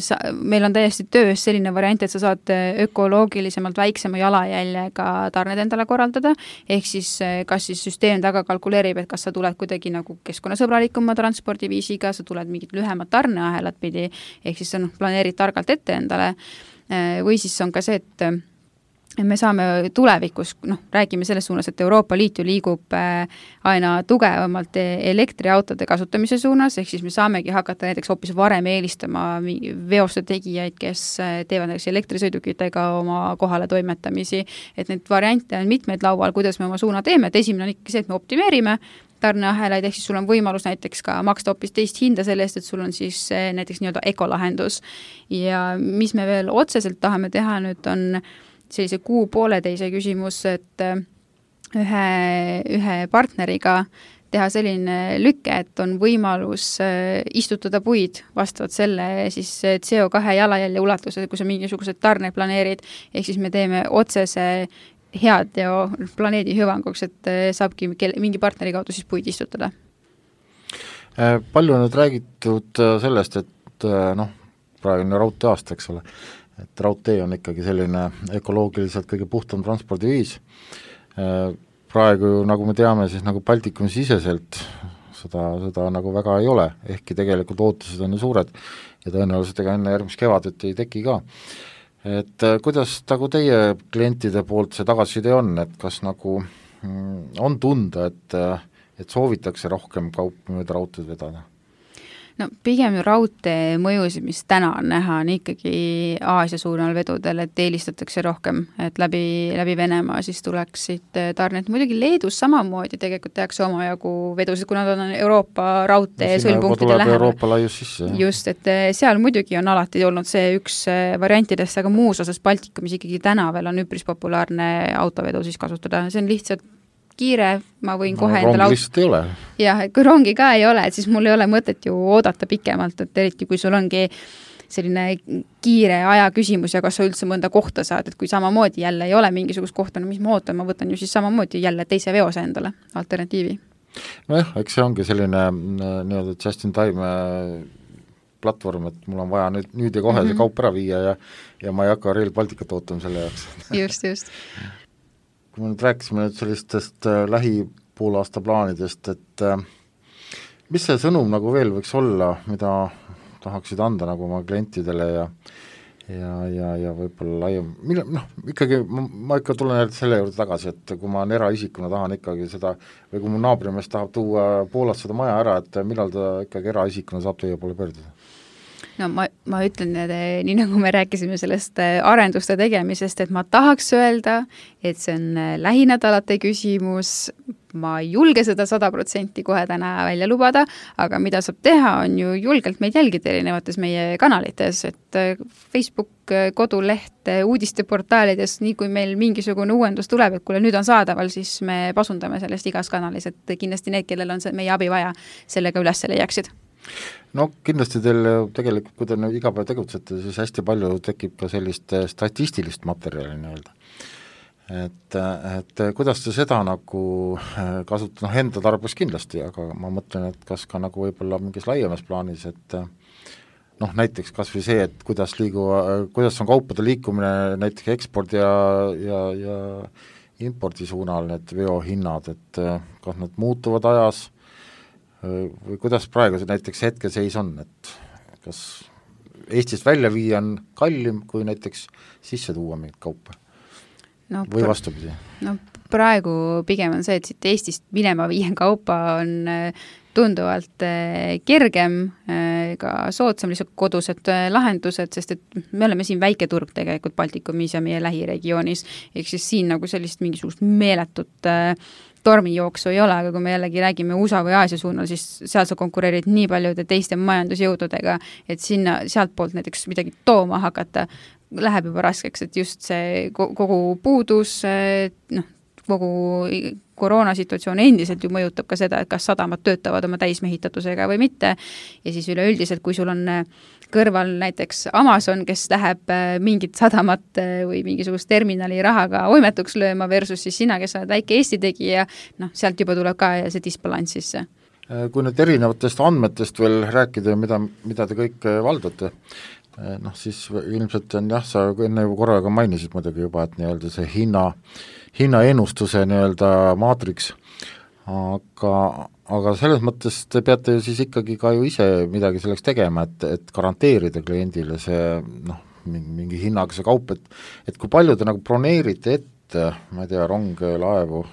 sa, meil on täiesti töös selline variant, et sa saad ökoloogilisemalt väiksema jalajäljega tarned endale korraldada, ehk siis kas siis süsteem taga kalkuleerib, et kas sa tuled kuidagi nagu keskkonnasõbralikuma transpordiviisiga, sa tuled mingit lühemat tarneahelat pidi, ehk siis sa noh, planeerid targalt ette endale, või siis on ka see, et me saame tulevikus, noh, räägime selles suunas, et Euroopa Liit ju liigub aina tugevamalt elektriautode kasutamise suunas, ehk siis me saamegi hakata näiteks hoopis varem eelistama veoste tegijaid, kes teevad näiteks elektrisõidukitega oma kohale toimetamisi, et neid variante on mitmeid laual, kuidas me oma suuna teeme, et esimene on ikka see, et me optimeerime tarneahelaid, ehk siis sul on võimalus näiteks ka maksta hoopis teist hinda selle eest, et sul on siis näiteks nii-öelda ekolahendus. Ja mis me veel otseselt tahame teha nüüd on sellise kuu pooleteise küsimus, et ühe, ühe partneriga teha selline lükke, et on võimalus istutada puid vastavalt selle siis C O kahe jalajälje ulatuse, kui sa mingisugused tarne planeerid, ehk siis me teeme otsese head ja planeedi hüvanguks, et saabki mingi partneri kaudu siis puid istutada. Palju on nüüd räägitud sellest, et noh, praegu on raudtee aasta, eks ole, et raudtee on ikkagi selline ökoloogiliselt kõige puhtam transpordiviis. Praegu, nagu me teame, siis nagu Baltikumi siseselt seda, seda nagu väga ei ole, ehkki tegelikult ootused on ju suured ja tõenäoliselt ega enne järgmist kevadet ei teki ka. Et kuidas nagu teie klientide poolt see tagasiside on, et kas nagu on tunda, et, et soovitakse rohkem kaup mööda raudteed vedada? No pigem ju raudtee mõjusid, mis täna on näha, on ikkagi Aasia suunal vedudel, et eelistatakse rohkem, et läbi, läbi Venemaa siis tuleksid tarned. Muidugi Leedus samamoodi tegelikult tehakse omajagu vedusid, kuna nad on Euroopa raudtee sõlmpunktide lähemal. Euroopa laius sisse. Just, et seal muidugi on alati olnud see üks variantidest, aga muus osas Baltikumis ikkagi täna veel on üpris populaarne autovedu siis kasutada. See on lihtsalt kiire, ma võin kohe no, endale... Rongi lihtsalt ei ole. Jah, kui rongi ka ei ole, et siis mul ei ole mõtet ju oodata pikemalt, et eriti kui sul ongi selline kiire aja küsimus ja kas sa üldse mõnda kohta saad, et kui samamoodi jälle ei ole mingisugust kohta, no mis ma ootan, ma võtan ju siis samamoodi jälle teise veose endale, alternatiivi. Nojah, eks see ongi selline nii-öelda just in time platvorm, et mul on vaja nüüd, nüüd ja kohe mm-hmm. see kaup ära viia ja, ja ma ei hakka Rail Balticut ootama selle jaoks. Just, just. Kui me nüüd rääkisime nüüd sellistest äh, lähipoolaasta plaanidest, et äh, mis see sõnum nagu veel võiks olla, mida tahaksid anda nagu oma klientidele ja ja, ja, ja võib-olla laiem, mille, noh, ikkagi ma, ma ikka tulen selle juurde tagasi, et kui ma eraisikuna tahan ikkagi seda, või kui mu naabrimees tahab tuua Poolast seda maja ära, et millal ta ikkagi eraisikuna saab teie poole pöörduda? No ma, ma ütlen, et nii nagu me rääkisime sellest arenduste tegemisest, et ma tahaks öelda, et see on lähinädalate küsimus, ma ei julge seda sada protsenti kohe täna välja lubada, aga mida saab teha, on ju julgelt meid jälgida erinevates meie kanalites, et Facebook, koduleht, uudisteportaalides, nii kui meil mingisugune uuendus tuleb, et kuule nüüd on saadaval, siis me pasundame sellest igas kanalis, et kindlasti need, kellel on see meie abi vaja, sellega üles leiaksid. No kindlasti teil tegelikult, kui te iga päev tegutsete, siis hästi palju tekib ka sellist statistilist materjali nii-öelda. Et, et kuidas te seda nagu kasutate, noh enda tarbes kindlasti, aga ma mõtlen, et kas ka nagu võib-olla mingis laiemas plaanis, et noh näiteks kas või see, et kuidas liigu, kuidas on kaupade liikumine näiteks ekspordi ja, ja, ja impordi suunal need veohinnad, et kas nad muutuvad ajas või kuidas praegu see näiteks hetkeseis on, et kas Eestist välja viia on kallim kui näiteks sisse tuua mingit kaupa no, või vastupidi? No praegu pigem on see, et siit Eestist minema viien kaupa on tunduvalt kergem, ka soodsam lihtsalt kodused lahendused, sest et me oleme siin väike turg tegelikult Baltikumis ja meie lähiregioonis, ehk siis siin nagu sellist mingisugust meeletut tormijooksu ei ole, aga kui me jällegi räägime U S A või Aasia suunal, siis seal sa konkureerid nii paljude teiste majandusjõududega, et sinna sealt poolt näiteks midagi tooma hakata, läheb juba raskeks, et just see kogu puudus, noh, kogu koroonasituatsioon endiselt ju mõjutab ka seda, et kas sadamad töötavad oma täismehitatusega või mitte, ja siis üleüldiselt, kui sul on kõrval näiteks Amazon, kes läheb mingit sadamat või mingisugust terminali rahaga oimetuks lööma versus siis sina, kes oled väike Eesti tegija, noh, sealt juba tuleb ka see disbalans sisse. Kui nüüd erinevatest andmetest veel rääkida, mida, mida te kõik valdate, noh siis ilmselt on jah, sa enne korraga mainisid muidugi juba, et nii-öelda see hinna, hinnaennustuse nii-öelda maatriks, aga, aga selles mõttes te peate siis ikkagi ka ju ise midagi selleks tegema, et, et garanteerida kliendile see noh, mingi hinnaga see kaup, et, et kui palju te nagu broneerite ette, ma ei tea, ronge, laevu?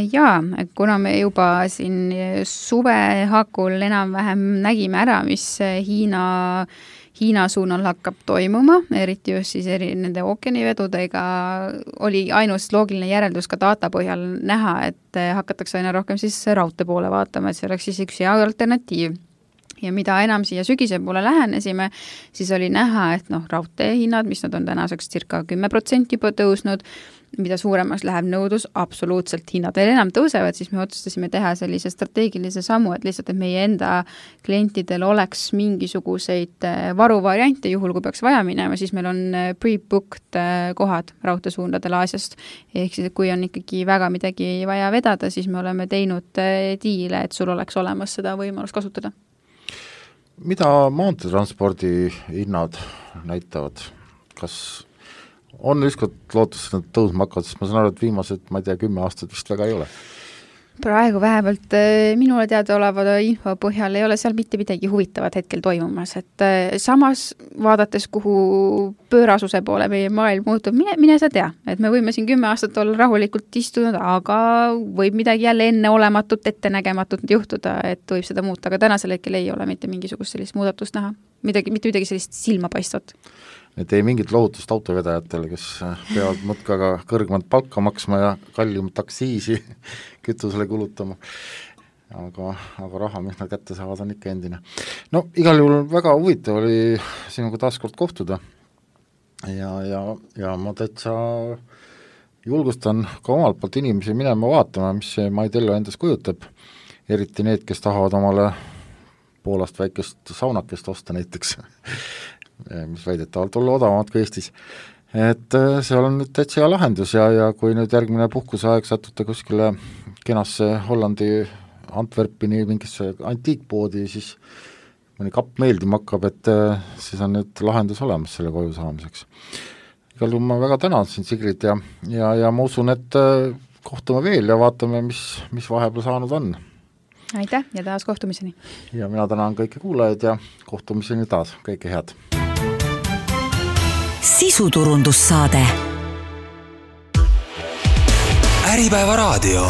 Jaa, kuna me juba siin suve hakul enam-vähem nägime ära, mis Hiina Hiina suunal hakkab toimuma, eriti just siis eri nende ookeanivedudega, oli ainus loogiline järeldus ka data põhjal näha, et hakatakse aina rohkem siis raudtee poole vaatama, et see oleks siis üks hea alternatiiv. Ja mida enam siia sügise poole lähenesime, siis oli näha, et noh, raudtee hinnad, mis nad on tänaseks circa kümme protsenti juba tõusnud, mida suuremaks läheb nõudlus, absoluutselt hinnad veel enam tõusevad, siis me otsustasime teha sellise strateegilise sammu, et lihtsalt, et meie enda klientidel oleks mingisuguseid varuvariante, juhul kui peaks vaja minema, siis meil on pre-booked kohad raudteesuundadel Aasiast. Ehk siis, kui on ikkagi väga midagi vaja vedada, siis me oleme teinud diile, et sul oleks olemas seda võimalust kasutada. Mida maanteetranspordi hinnad näitavad? Kas on ükskord lootus, et nad tõusma hakkavad, sest ma saan aru, et viimased, ma ei tea, kümme aastat vist väga ei ole. Praegu vähemalt minule teada oleva info põhjal ei ole seal mitte midagi huvitavat hetkel toimumas, et samas vaadates, kuhu pöörasuse poole meie maailm muutub, mine, mine sa tea, et me võime siin kümme aastat olla rahulikult istunud, aga võib midagi jälle enneolematut, ettenägematut juhtuda, et võib seda muuta, aga tänasel hetkel ei ole mitte mingisugust sellist muudatust näha, midagi, mitte midagi sellist silmapaistvat. Et ei mingit lohutust autovedajatele, kes peavad mõtkaga kõrgemat palka maksma ja kallimat aksiisi kütusele kulutama. Aga, aga raha, mis nad kätte saavad, on ikka endine. No igal juhul väga huvitav oli sinuga taaskord kohtuda ja, ja, ja ma täitsa julgustan ka omalt poolt inimesi minema vaatama, mis see MyTello endas kujutab, eriti need, kes tahavad omale Poolast väikest saunakest osta näiteks mis väidetavalt olla odavamad kui Eestis. Et see on nüüd täitsa hea lahendus ja, ja kui nüüd järgmine puhkuseaeg satute kuskile kenasse Hollandi Antwerpini mingisse antiikpoodi, siis mõni kapp meeldima hakkab, et siis on nüüd lahendus olemas selle koju saamiseks. Igal juhul ma väga tänan sind, Sigrid, ja, ja, ja ma usun, et kohtume veel ja vaatame, mis, mis vahepeal saanud on. Aitäh ja taas kohtumiseni. Ja mina tänan kõiki kuulajaid ja kohtumiseni taas, kõike head. Sisuturundussaade. Äripäeva raadio.